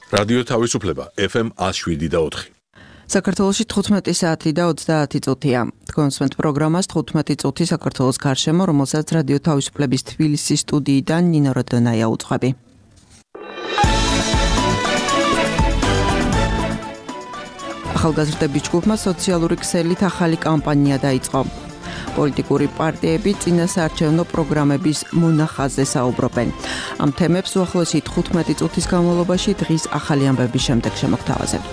რადიო თავისუფლება FM 107.4. საქართველოში 15 საათი და 30 წუთია. თქვენსმენთ პროგრამას 15 წუთი საქართველოს გარშემო, რომელსაც რადიო თავისუფლების თბილისის სტუდიიდან ნინო როდონაია უძღვები. ახალგაზრდების ჯგუფმა სოციალური ქსელით ახალი კამპანია დაიწყო. პოლიტიკური პარტიები წინასაარჩევნო პროგრამების მონახაზზე საუბრობენ. ამ თემებს უახლოესი 15 წუთის განმავლობაში დღის ახალი ამბების შემდეგ შემოგთავაზებთ.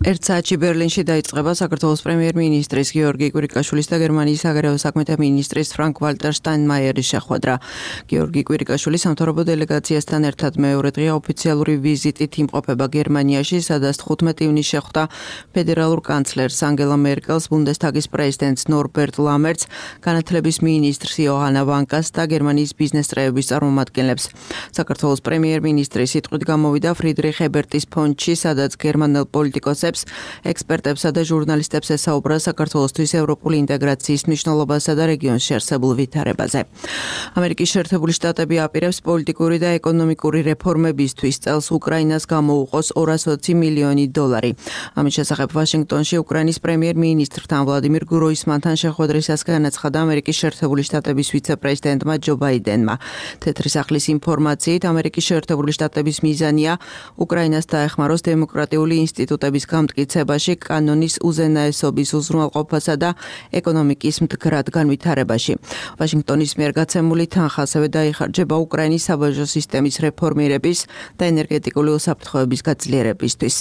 ერთ საათში ბერლინში დაიწყება საქართველოს პრემიერ-მინისტრის გიორგი კვირიკაშვილის და გერმანიის საგარეო საქმეთა მინისტრის ფრანკ-ვალტერ შტაინმაიერის შეხვედრა. გიორგი კვირიკაშვილი სამთავრობო დელეგაციასთან ერთად მეორე დღე ოფიციალური ვიზიტით იმყოფება გერმანიაში, სადაც 15 ივნისს შეხვდა ფედერალურ კანცლერს ანგელა მერკელს, ბუნდესტაგის პრეზიდენტს ნორბერტ ლამერტს, განათლების მინისტრს იოჰანა ვანკას და გერმანიის ბიზნეს წრეების წარმომადგენლებს. საქართველოს პრემიერ-მინისტრის სიტყვით გამოვიდა ფრიდრიხ ებერტის ფონდში, სადაც გერმანელ პოლიტიკოსებს ექსპერტებსა და ჟურნალისტებს ესაუბრა საქართველოსთვის ევროპული ინტეგრაციის მნიშვნელობასა და რეგიონში არსებულ ვითარებაზე. ამერიკის შეერთებული შტატები აპირებს პოლიტიკური და ეკონომიკური რეფორმებისთვის წელს უკრაინას გამოუყოს $220 მილიონი. ამის შესახებ ვაშინგტონში უკრაინის პრემიერ-მინისტრთან ვლადიმირ გროისმანთან შეხვედრისას განაცხადა ამერიკის შეერთებული შტატების ვიცე-პრეზიდენტმა ჯო ბაიდენმა. თეთრი სახლის ინფორმაციით ამერიკის შეერთებული შტატების მიზანია უკრაინას დაეხმაროს დემოკრატიული ინსტიტუტების გამტკიცებაში, კანონის უზენაესობის უზრუნველყოფასა და ეკონომიკის მდგრად განვითარებაში. ვაშინგტონის მიერ გაცემული თანხა ასევე დაიხარჯება უკრაინის საბაჟო სისტემის რეფორმირების და ენერგეტიკული უსაფრთხოების გაძლიერებისთვის.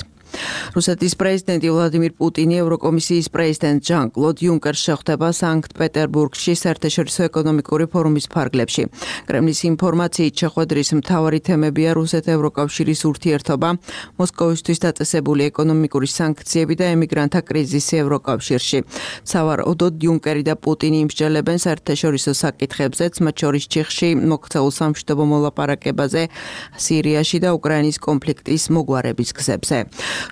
რუსეთის პრეზიდენტი ვლადიმირ პუტინი ევროკომისიის პრეზიდენტ ჟან-კლოდ იუნკერს შეხვდება სანქტ-პეტერბურგში საერთაშორისო ეკონომიკური ფორუმის ფარგლებში. კრემლის ინფორმაციით შეხვედრის მთავარი თემებია რუსეთ-ევროკავშირის ურთიერთობა, მოსკოვისთვის დაწესებული ეკონომიკური სანქციები და ემიგრანტთა კრიზისი ევროკავშირში. სავარაუდოდ იუნკერი და პუტინი იმსჯელებენ საერთაშორისო საკითხებზეც, მათ შორის ჩიხში მოქცეულ სამშვიდობო მოლაპარაკებაზე, სირიაში და უკრაინის კონფლიქტის მოგვარების გზებზე.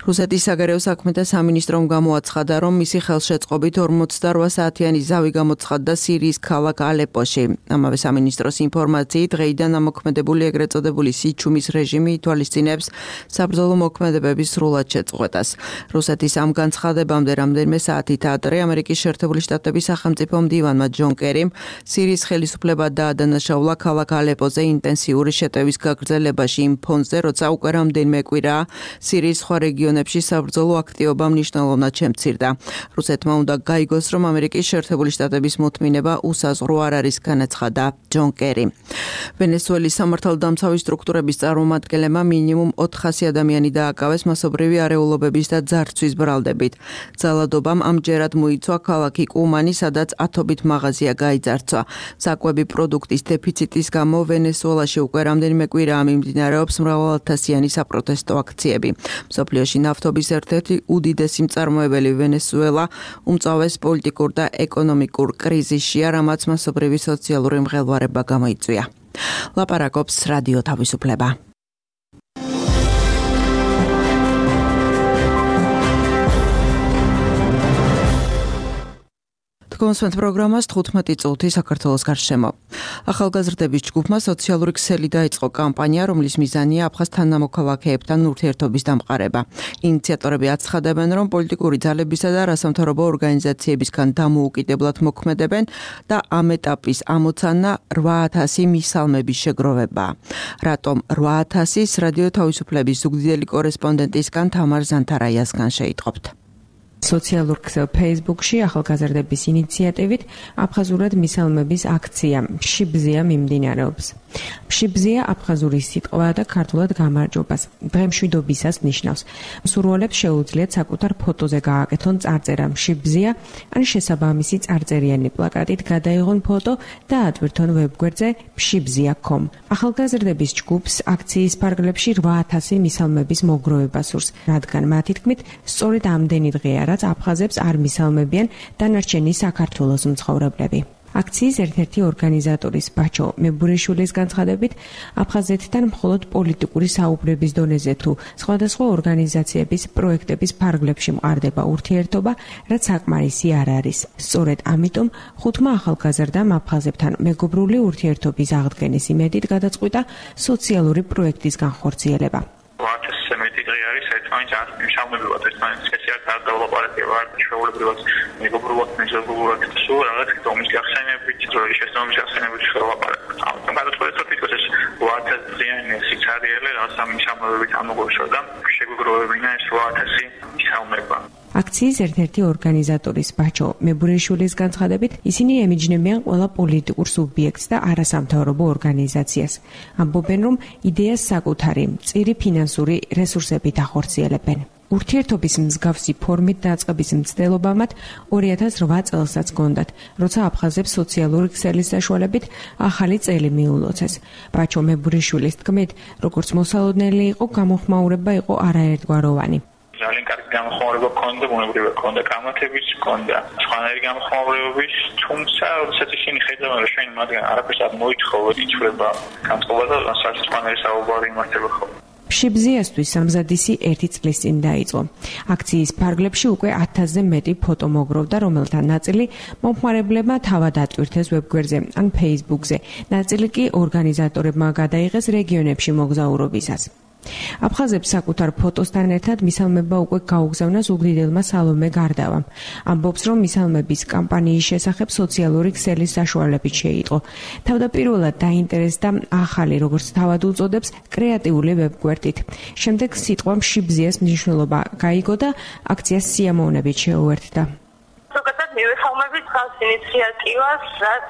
რუსეთის საგარეო საქმეთა სამინისტრომ გამოაცხადა, რომ მისი ხელშეწყობით 48 საათიანი ზავი გამოცხადდა სირიის ქალაქ ალეპოში. ამავე სამინისტროს ინფორმაციით, დღეიდან ამოქმედებული ეგრეთ წოდებული სიჩუმის რეჟიმი ითვალისწინებს საბრძოლო მოქმედებების სრულად შეწყვეტას. რუსეთის ამ განცხადებამდე რამდენიმე საათით ადრე ამერიკის შეერთებული შტატების სახელმწიფო მდივანმა ჯონ კერიმ სირიის ხელისუფლება დაადანაშაულა ქალაქ ალეპოზე ინტენსიური შეტევის გაგრძელებაში იმ ფონზე, როცა უკვე რამდენიმე კვირაა სირიის სხვა რეგიონებში საბრძოლო აქტივობა მნიშვნელოვნად შემცირდა. რუსეთმა უნდა გაიგოს, რომ ამერიკის შეერთებული შტატების მოთმინება უსაზღვრო არ არის, განაცხადა ჯონ კერი. ვენესუელის სამართალდამცავი სტრუქტურების წარმომადგენლებმა მინიმუმ 400 ადამიანი დააკავეს მასობრივი არეულობების და ძარცვის ბრალდებით. ძალადობამ ამჯერად მოიცვა ქალაქი კუმანი, სადაც ათობით მაღაზია გაიძარცვა. საკვები პროდუქტის დეფიციტის გამო ვენესუელაში უკვე რამდენიმე კვირაა მიმდინარეობს მრავალათასიანი საპროტესტო აქციები. მსოფლიოში ნავთობის ერთ-ერთი უდიდესი მწარმოებელი ვენესუელა უმწავეს პოლიტიკურ და ეკონომიკურ კრიზისშია, რამაც მასობრივი სოციალური მღელვარება გამოიწვია. ლაპარაკობს რადიო თავისუფლება. კონსვენთ პროგრამას 15 წუთი საქართველოს გარშემო. ახალგაზრდების ჯგუფმა სოციალური ქსელი დაიწყო კამპანია, რომლის მიზანია აფხაზ თანამოქალაქეებთან ურთიერთობის დამყარება. ინიციატორები აცხადებენ, რომ პოლიტიკური ძალებისა და არასამთავრობო ორგანიზაციებისგან დამოუკიდებლად მოქმედებენ და ამ ეტაპის ამოცანა 8000 მისალმების შეგროვებაა. რატომ 8000-ის რადიო თავისუფლების ზუგდიდელი კორესპონდენტისგან თამარ ზანთარაიასგან შეიტყობთ. სოციალურ ქსელ Facebook-ში ახალგაზრდების ინიციატივით აფხაზურად მისალმების აქცია შიბზია მიმდინარეობს. შიბზია აფხაზური სიტყვაა და ქართულად გამარჯვებას, დღემშვიდობისას ნიშნავს. მსურველებს შეუძლიათ საკუთარ ფოტოზე გააკეთონ წარწერა შიბზია, ან შესაბამისი წარწერიანი პლაკატით გადაიღონ ფოტო და ატვირთონ ვებგვერდზე shibzia.com. ახალგაზრდების ჯგუფს აქციის ფარგლებში 8000 მისალმების მოგროვება სურს, რადგან მათი თქმით, სწორედ ამდენი დღეა, რაც აფხაზებს არ მისალმებიან დანარჩენი საქართველოს მცხოვრებლები. აქციის ერთ-ერთი ორგანიზატორის ბაჩო მებურიშვილის განცხადებით, აფხაზეთთან მხოლოდ პოლიტიკური საუბრების დონეზე თუ სხვადასხვა ორგანიზაციების პროექტების ფარგლებში მყარდება ურთიერთობა, რაც საკმარისი არ არის. სწორედ ამიტომ ხუთმა ახალგაზრდამ აფხაზებთან მეგობრული ურთიერთობის აღდგენის იმედით გადაწყვიტა სოციალური პროექტის განხორციელება. მეტი დღე არის ერთმანეთს მშამებულად ერთმანეთს სპეციალურად დავალაპარაკება ჩვეულებრივად მეგობრულად მეზობლურად სულ რაღაც თომის გახსენებით როდის შესწავლების გახსენებით შევალაპარაკებთ. ამიტომ გადაწყვეტეთ თვითონ ეს 8000 დღიანი სიცარიელე რაც ამ მშამებებით ამოგვეშვა და შეგვიგროვებინა ეს 8000 მშამება. აქციის ერთ-ერთი ორგანიზატორის ბაჩო მებურიშვილის განცხადებით, ისინი ემიჯნებიან ყველა პოლიტიკურ სუბიექტს და არასამთავრობო ორგანიზაციას. ამბობენ, რომ იდეას საკუთარი მწირი ფინანსური რესურსებით ახორციელებენ. ურთიერთობის მსგავსი ფორმით დაწყების მცდელობა მათ 2008 წელსაც გონდათ, როცა აფხაზებს სოციალური ქსელის საშუალებით ახალი წელი მიულოცეს. ბაჩო მებურიშვილის თქმით, როგორც მოსალოდნელი იყო, გამოხმაურება იყო არაერთგვაროვანი. ძალიან კარგი გამოხმაურება ქონდა, ბუნებრივად ქონდა კამათებიც, ქონდა სხვანაირი გამოხმაურებების, თუმცა როდესაც ისინი ხედავენ, რომ ჩვენ მათგან არაფერს არ მოითხოვოთ, იცვლება განწყობა და სხვანაირი საუბარი იმართება ხოლმე. ფშიბზიასთვის სამზადისი 1 წლის წინ დაიწყო. აქციის ფარგლებში უკვე 1000-ზე მეტი ფოტო მოგროვდა, რომელთა ნაწილი მომხმარებლებმა თავად ატვირთეს ვებგვერდზე ან Facebook-ზე, ნაწილი კი ორგანიზატორებმა გადაიღეს რეგიონებში მოგზაურობისას. აფხაზებს საკუთარ ფოტოსთან ერთად მისალმება უკვე გაუგზავნას უგდიდელმა სალომე გარდავამ. ამბობს, რომ მისალმების კამპანიის შესახებ სოციალური ქსელის საშუალებით შეიტყო. თავდაპირველად დაინტერესდა ახალი, როგორც თავად უწოდებს, კრეატიული ვებგვერდით. შემდეგ სიტყვა მშიბზიას მნიშვნელობა გაიგო და აქციას სიამოვნებით შეუერთდა. ზოგადად მივეხმარებით ხალხს ინიციატივას, რაც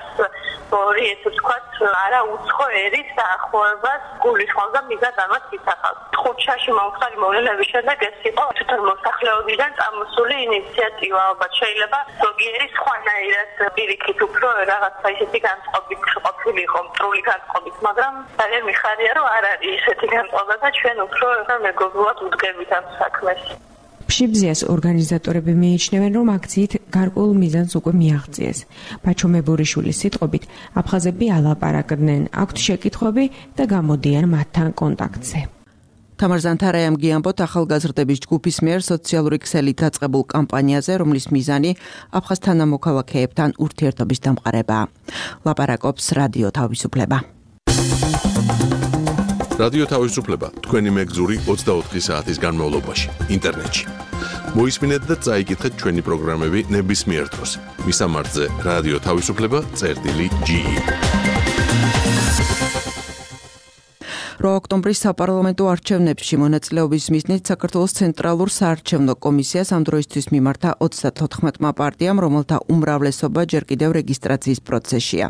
ორი ესე ვთქვათ, არა უცხო ერის დაახლოებას გულისხმობს და მიზანს ამას იცახავს. ხუთშაში მომხდარი მოვლენების შემდეგ ეს იყო თვითონ მოსახლეობიდან წამოსული ინიციატივა, ალბათ შეიძლება ზოგიერი სხვანაირად პირიქით უფრო რაღაცა ისეთი განწყობით ყოფილიყო, მტრული განწყობით, მაგრამ ძალიან მიხარია, რომ არ არის ისეთი განწყობა და ჩვენ უფრო მეგობრულად ვუდგებით ამ საქმეს. ფშიბზიას ორგანიზატორები მიიჩნევენ, რომ აქციით გარკვეულ მიზანს უკვე მიაღწიეს. ბაჩო მებურიშვილის სიტყვებით, აფხაზები ალაპარაკდნენ, აქვთ შეკითხვები და გამოდიან მათთან კონტაქტზე. თამარ ზანთარაიამ გიამბოთ ახალგაზრდების ჯგუფის მიერ სოციალური ქსელით დაწყებულ კამპანიაზე, რომლის მიზანი აფხაზ თანამოქალაქეებთან ურთიერთობის დამყარებაა. ლაპარაკობს რადიო თავისუფლება. რადიო თავისუფლება თქვენი მეგზური 24 საათის განმავლობაში ინტერნეტში. მოისმინეთ და წაიკითხეთ ჩვენი პროგრამები ნებისმიერ დროს. მისამართზე რადიო თავისუფლება.ge 8 ოქტომბრის საპარლამენტო არჩევნებში მონაწილეობის მიზნით საქართველოს ცენტრალურ საარჩევნო კომისიას ამ დროისთვის მიმართა 34-მა პარტიამ, რომელთა უმრავლესობა ჯერ კიდევ რეგისტრაციის პროცესშია.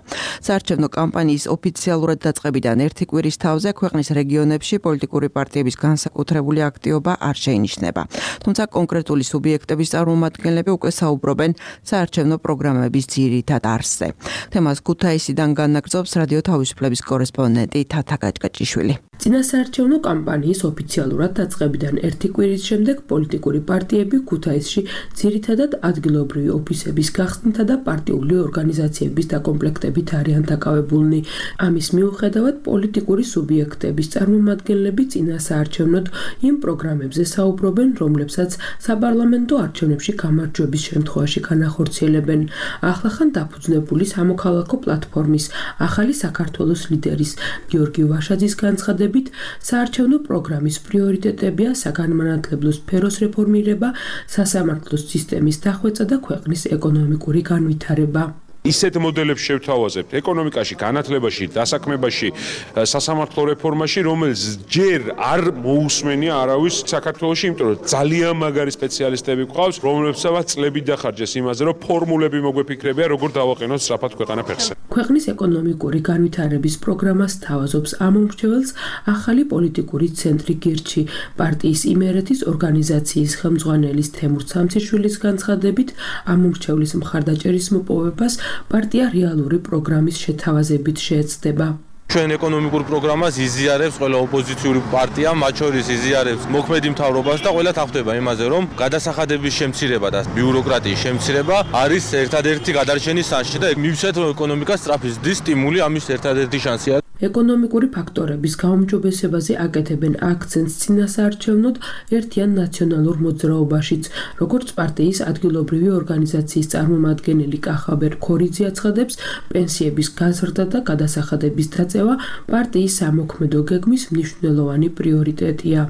საარჩევნო კამპანიის ოფიციალურად დაწყებიდან ერთი კვირის თავზე ქვეყნის რეგიონებში პოლიტიკური პარტიების განსაკუთრებული აქტივობა არ შეინიშნება. თუმცა კონკრეტული სუბიექტების წარმომადგენლები უკვე საუბრობენ საარჩევნო პროგრამების ძირითად არსზე. თემას ქუთაისიდან განაგრძობს რადიო თავისუფლების კორესპონდენტი თათა გაჭკაჭიშვილი. წინასაარჩევნო კამპანიის ოფიციალურად დაწყებიდან ერთი კვირის შემდეგ პოლიტიკური პარტიები ქუთაისში ძირითადად ადგილობრივი ოფისების გახსნითა და პარტიული ორგანიზაციების დაკომპლექტებით არიან დაკავებულნი. ამის მიუხედავად პოლიტიკური სუბიექტების წარმომადგენლები წინასაარჩევნოდ იმ პროგრამებზე საუბრობენ, რომლებსაც საპარლამენტო არჩევნებში გამარჯვების შემთხვევაში განახორციელებენ. ახლახან დაფუძნებული სამოქალაქო პლატფორმის ახალი საქართველოს ლიდერის გიორგი ვაშაძის განცხადებით, საარჩევნო პროგრამის პრიორიტეტებია საგანმანათლებლო სფეროს რეფორმირება, სასამართლოს სისტემის დახვეწა და ქვეყნის ეკონომიკური განვითარება. ისეთ მოდელებს შევთავაზებთ ეკონომიკაში, განათლებაში, დასაქმებაში, სასამართლო რეფორმაში, რომელიც ჯერ არ მოусმენია არავის საქართველოში, იმიტომ რომ ძალიან მაგარი სპეციალისტები გვყავს, რომლებსაც წლები დახარჯეს იმაზე, რომ ფორმულები მოგვეფიქრებია, როგორ დავაყენოთ სწრაფად ქვეყანა ფეხზე. ქვეყნის ეკონომიკური განვითარების პროგრამას თავაზობს ამომრჩეველს ახალი პოლიტიკური ცენტრი გირჩი. პარტიის იმერეთის ორგანიზაციის ხელმძღვანელის თემურ სამციშვილის განცხადებით, ამომრჩევლის მხარდაჭერის მოპოვებას პარტია რეალური პროგრამის შეთავაზებით შეეცდება. ჩვენ ეკონომიკურ პროგრამას იზიარებს ყველა ოპოზიციური პარტია, მათ შორის იზიარებს მოქმედი მთავრობას და ყველა თანხმდება იმაზე, რომ გადასახადების შემცირება და ბიუროკრატიის შემცირება არის ერთადერთი გადარჩენის შანსი და მივცეთ, რომ ეკონომიკას სწრაფი ზრდის სტიმული ამის ერთადერთი შანსია. ეკონომიკური ფაქტორების გაუმჯობესებაზე აკეთებენ აქცენტს წინასაარჩევნოდ ერთიან ნაციონალურ მოძრაობაშიც, როგორც პარტიის ადგილობრივი ორგანიზაციის წარმომადგენელი კახაბერ ქორიძე აცხადებს, პენსიების გაზრდა და გადასახადების დაწევა პარტიის სამოქმედო გეგმის მნიშვნელოვანი პრიორიტეტია.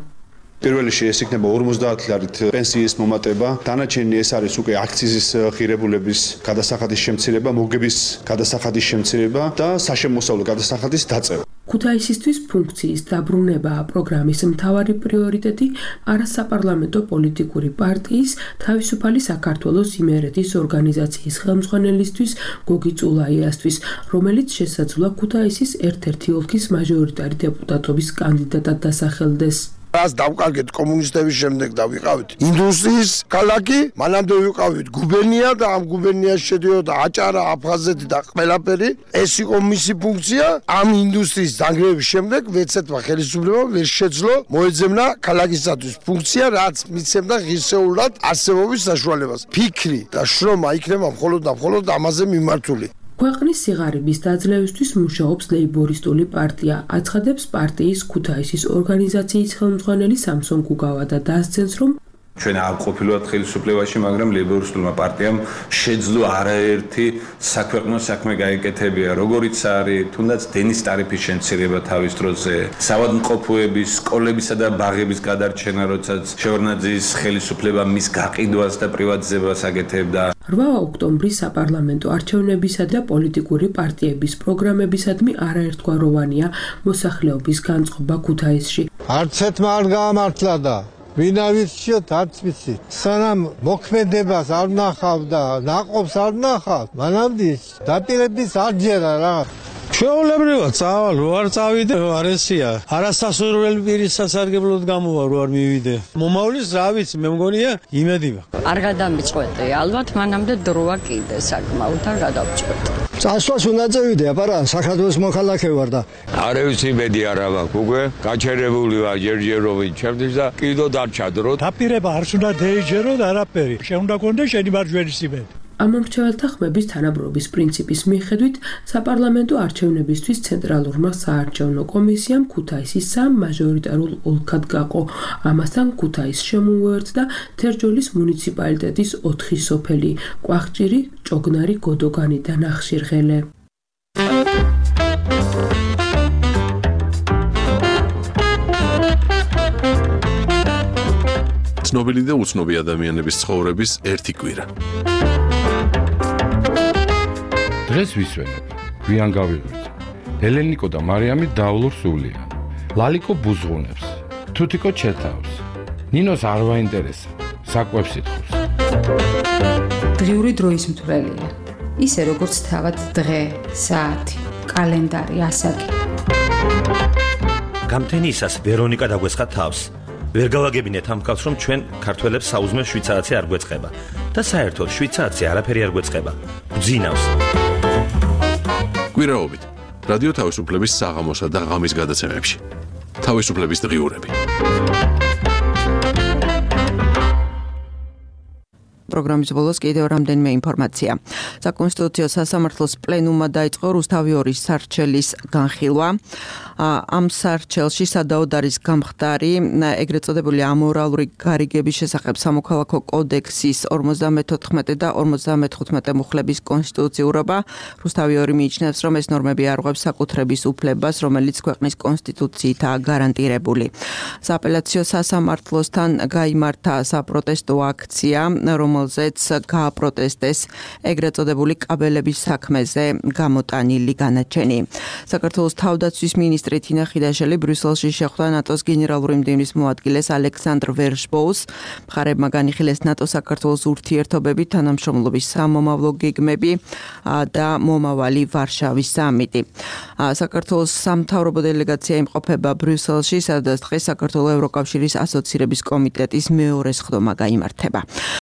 პირველი ეს იქნება 50 ლარით პენსიის მომატება, დანარჩენი ეს არის უკვე აქციზის ღირებულების გადასახადის შემცირება, მოგების გადასახადის შემცირება და საშემოსავლო გადასახადის დაწევა. ქუთაისისთვის ფუნქციის დაბრუნებაა პროგრამის მთავარი პრიორიტეტი არასაპარლამენტო პოლიტიკური პარტიის თავისუფალი საქართველოს იმერეთის ორგანიზაციის ხელმძღვანელისთვის გოგი წულაიასთვის, რომელიც შესაძლოა ქუთაისის ერთ-ერთი ოლქის მაჟორიტარი დეპუტატობის კანდიდატად დასახელდეს. რას დავკარგეთ კომუნისტების შემდეგ და ვიყავით ინდუსტრიის ქალაქი, მანამდე ვიყავით გუბერნია და ამ გუბერნიაში შედიოდა აჭარა, აფხაზეთი და ყველაფერი. ეს იყო მისი ფუნქცია. ამ ინდუსტრიის დანგრევის შემდეგ ვეცეთმა ხელისუფლებამ ვერ შეძლო მოეძებნა ქალაქისათვის ფუნქცია, რაც მიცემდა ღირსეულად არსებობის საშუალებას. ფიქრი და შრომა იქნება მხოლოდ და მხოლოდ ამაზე მიმართული. ქვეყნის სიღარიბის დაძლევისთვის მუშაობს ლეიბორისტული პარტია, აცხადებს პარტიის ქუთაისის ორგანიზაციის ხელმძღვანელი სამსონ გუგავა და დასცენს, რომ ჩვენ არ ყოფილვართ ხელისუფლებაში, მაგრამ ლეიბორისტულმა პარტიამ შეძლო არაერთი საქვეყნო საქმე გაეკეთებია, როგორიც არის თუნდაც დენის ტარიფის შემცირება თავის დროზე, საავადმყოფოების, სკოლებისა და ბაღების გადარჩენა, როდესაც შევარდნაძის ხელისუფლება მის გაყიდვას და პრივატიზებას აკეთებდა. 8 ოქტომბრის საპარლამენტო არჩევნებისა და პოლიტიკური პარტიების პროგრამებისადმი არაერთგვაროვანია მოსახლეობის განწყობა ქუთაისში. არცეთმა არ გაამართლა და ვინავიცით არც ვიცი. სანამ მოქმედებას არ ნახავ და ნაყოფს არ ნახავ, მანამდე დაპირების არ ჯერა რა. ჩვეულებრივად წავალ, რო არ წავიდე, არესია. არასასურველი პირის სასარგებლოდ გამოვა, რო არ მივიდე. მომავლის რა ვიცი, მე მგონია იმედი მაქვს. არ გადამიწყვეტე, ალბათ მანამდე დროა კიდე საკმაოდ არ გადავწყვეტე. წასვლას უნდა წევიდე, აბარა საქართველოს მოქალაქე ვარ და არ ვიცი იმედი არა მაქვს, უკვე გაჩერებული ვარ ჯერჯერობით ჩემთვის და კიდო დარჩადრო. დაპირება არ უნდა დაეჯერო და არაფერი. შეუნდა კონდე შენი მარჯვენის იმედი. ამომრჩეველთა ხმების თანაბრობის პრინციპის მიხედვით საპარლამენტო არჩევნებისთვის ცენტრალურმა საარჩევნო კომისიამ ქუთაისის 3 მაჟორიტარულ ოლქად გაყო. ამასთან ქუთაისს შემოუერთდა თერჯოლის მუნიციპალიტეტის 4 სოფელი: კვახჭირი, ჭოგნარი, გოდოგანი და ნახშირღელე. ცნობილი და უცნობი ადამიანების ცხოვრების ერთი კვირა. დღეს ვისვენებ, გვიან გავიღვიძე. ელენიკო და მარიამი დაულურ სულიან. ლალიკო ბუზღუნებს, თუთიკო ჩეთავს. ნინოს არ ვაინტერესა, საკვებს ითხოვს. დღიური დროის მთვრელია. ისე როგორც თავად დღე, საათი, კალენდარი, ასაკი. გამთენიისას ვერონიკა დაგვესხა თავს. ვერ გავაგებინეთ ამ ხალხს, რომ ჩვენ ქართველებს საუზმე შვიცარაცი არ გვეწყება და საერთოდ შვიცარაცი არაფერი არ გვეწყება. გძინავს. კვირაობით რადიო თავისუფლების საღამოსა და ღამის გადაცემებში. თავისუფლების დღიურები. პროგრამის ბოლოს კიდევ რამდენიმე ინფორმაცია. საკონსტიტუციო სასამართლოს პლენუმმა დაიწყო რუსთავი 2 სარჩელის განხილვა. ამ სარჩელში სადაოდ არის გამხდარი ეგრეთ წოდებული ამორალური გარიგების შესახებ სამოქალაქო კოდექსის 54 და 55 მუხლების კონსტიტუციურობა. რუსთავი 2 მიიჩნევს, რომ ეს ნორმები არღვევს საკუთრების უფლებას, რომელიც ქვეყნის კონსტიტუციითაა გარანტირებული. სააპელაციო სასამართლოსთან გაიმართა საპროტესტო აქცია, რომელზეც გააპროტესტეს ეგრეთ წოდებული კაბელების საქმეზე გამოტანილი განაჩენი. საქართველოს თავდაცვის მინისტრი თინა ხიდაშელი ბრიუსელში შეხვდა ნატოს გენერალური მდივნის მოადგილეს ალექსანდრ ვერშბოუს. მხარეებმა განიხილეს ნატო-საქართველოს ურთიერთობები, თანამშრომლობის სამომავლო გეგმები და მომავალი ვარშავის სამიტი. საქართველოს სამთავრობო დელეგაცია იმყოფება ბრიუსელში, სადაც დღეს საქართველოს ევროკავშირის ასოცირების კომიტეტის მეორე სხდომა გაიმართება.